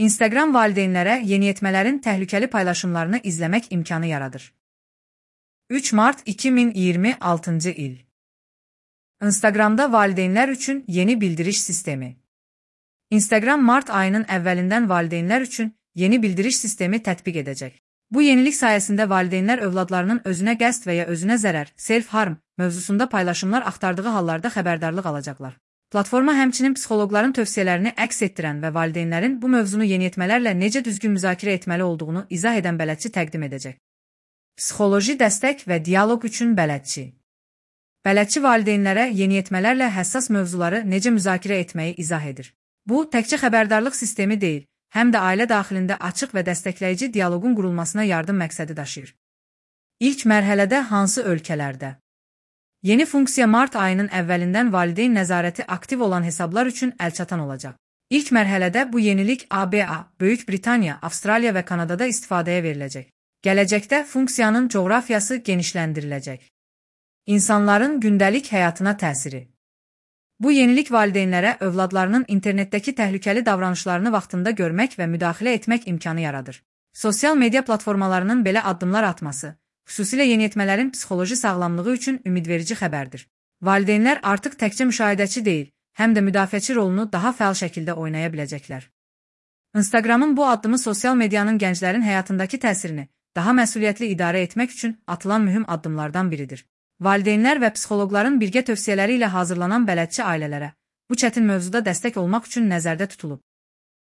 Instagram valideynlərə yeniyetmələrin təhlükəli paylaşımlarını izləmək imkanı yaradır. 3 mart 2026 il. Instagramda valideynlər üçün yeni bildiriş sistemi. Instagram mart ayının əvvəlindən valideynlər üçün yeni bildiriş sistemi tətbiq edəcək. Bu yenilik sayəsində valideynlər övladlarının özünə qəsd və ya özünə zərər, self-harm mövzusunda paylaşımlar axtardığı hallarda xəbərdarlıq alacaqlar. Platforma həmçinin psixoloqların tövsiyələrini əks etdirən və valideynlərin bu mövzunu yeniyetmələrlə necə düzgün müzakirə etməli olduğunu izah edən bələdçi təqdim edəcək. Psixoloji dəstək və dialoq üçün bələdçi. Bələdçi valideynlərə yeniyetmələrlə həssas mövzuları necə müzakirə etməyi izah edir. Bu, təkcə xəbərdarlıq sistemi deyil, həm də ailə daxilində açıq və dəstəkləyici dialoqun qurulmasına yardım məqsədi daşıyır. İlk mərhələdə hansı ölkələrdə? Yeni funksiya mart ayının əvvəlindən valideyn nəzarəti aktiv olan hesablar üçün əlçatan olacaq. İlk mərhələdə bu yenilik ABA, Böyük Britaniya, Avstraliya və Kanadada istifadəyə veriləcək. Gələcəkdə funksiyanın coğrafiyası genişləndiriləcək. İnsanların gündəlik həyatına təsiri. Bu yenilik valideynlərə övladlarının internetdəki təhlükəli davranışlarını vaxtında görmək və müdaxilə etmək imkanı yaradır. Sosial media platformalarının belə addımlar atması, xüsusilə yeniyetmələrin psixoloji sağlamlığı üçün ümidverici xəbərdir. Valideynlər artıq təkcə müşahidəçi deyil, həm də müdafiəçi rolunu daha fəal şəkildə oynaya biləcəklər. Instagramın bu addımı sosial medianın gənclərin həyatındakı təsirini daha məsuliyyətli idarə etmək üçün atılan mühüm addımlardan biridir. Valideynlər və psixoloqların birgə tövsiyələri ilə hazırlanan bələdçi ailələrə bu çətin mövzuda dəstək olmaq üçün nəzərdə tutulub.